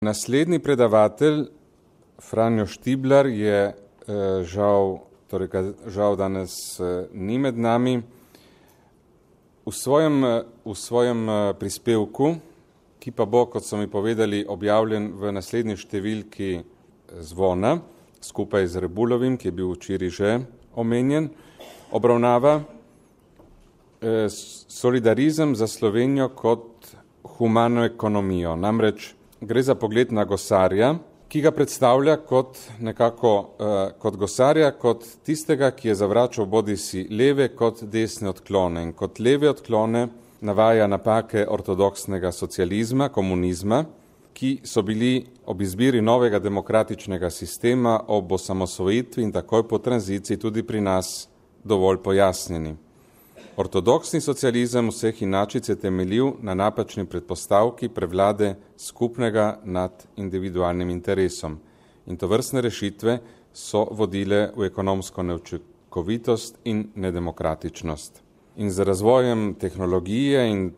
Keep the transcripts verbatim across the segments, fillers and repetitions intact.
Naslednji predavatelj, Franjo Štiblar, je žal, torej žal danes ni med nami. V svojem, v svojem prispevku, ki pa bo, kot so mi povedali, objavljen v naslednji številki Zvona, skupaj z Rebulovim, ki je bil včeraj že omenjen, obravnava solidarizem za Slovenijo kot humano ekonomijo. Namreč gre za pogled na gosarja, ki ga predstavlja kot nekako uh, kot gosarja, kot tistega, ki je zavračal bodisi leve kot desne odklone. In kot leve odklone navaja napake ortodoksnega socializma, komunizma, ki so bili ob izbiri novega demokratičnega sistema ob osamosvojitvi in takoj po tranziciji tudi pri nas dovolj pojasnjeni. Ortodoksni socializem vseh inačic je temeljil na napačni predpostavki prevlade skupnega nad individualnim interesom. In tovrstne rešitve so vodile v ekonomsko neučinkovitost in nedemokratičnost. In z razvojem tehnologije in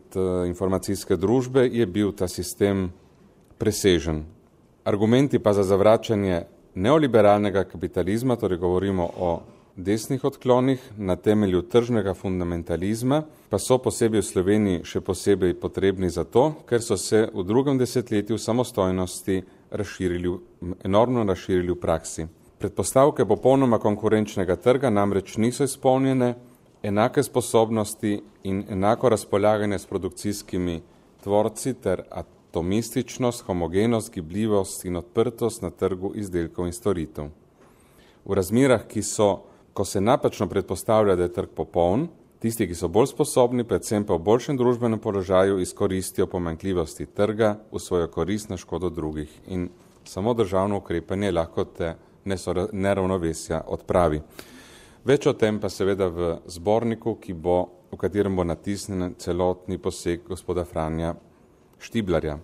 informacijske družbe je bil ta sistem presežen. Argumenti pa za zavračanje neoliberalnega kapitalizma, torej govorimo o desnih odklonih na temelju tržnega fundamentalizma, pa so posebej v Sloveniji še posebej potrebni zato, ker so se v drugem desetletju samostojnosti razširili, enormno razširili v praksi. Predpostavke popolnoma konkurenčnega trga namreč niso izpolnjene, enake sposobnosti in enako razpolaganje s produkcijskimi tvorci ter atomističnost, homogenost, gibljivost in odprtost na trgu izdelkov in storitev. V razmerah, ki so Ko se napačno predpostavlja, da je trg popoln, tisti, ki so bolj sposobni, predvsem pa v boljšem družbenem položaju, izkoristijo pomanjkljivosti trga v svojo korist na škodo drugih. In samo državno ukrepanje lahko te neravnovesja odpravi. Več o tem pa seveda v zborniku, ki bo, v katerem bo natisnjen celotni poseg gospoda Franja Štiblarja.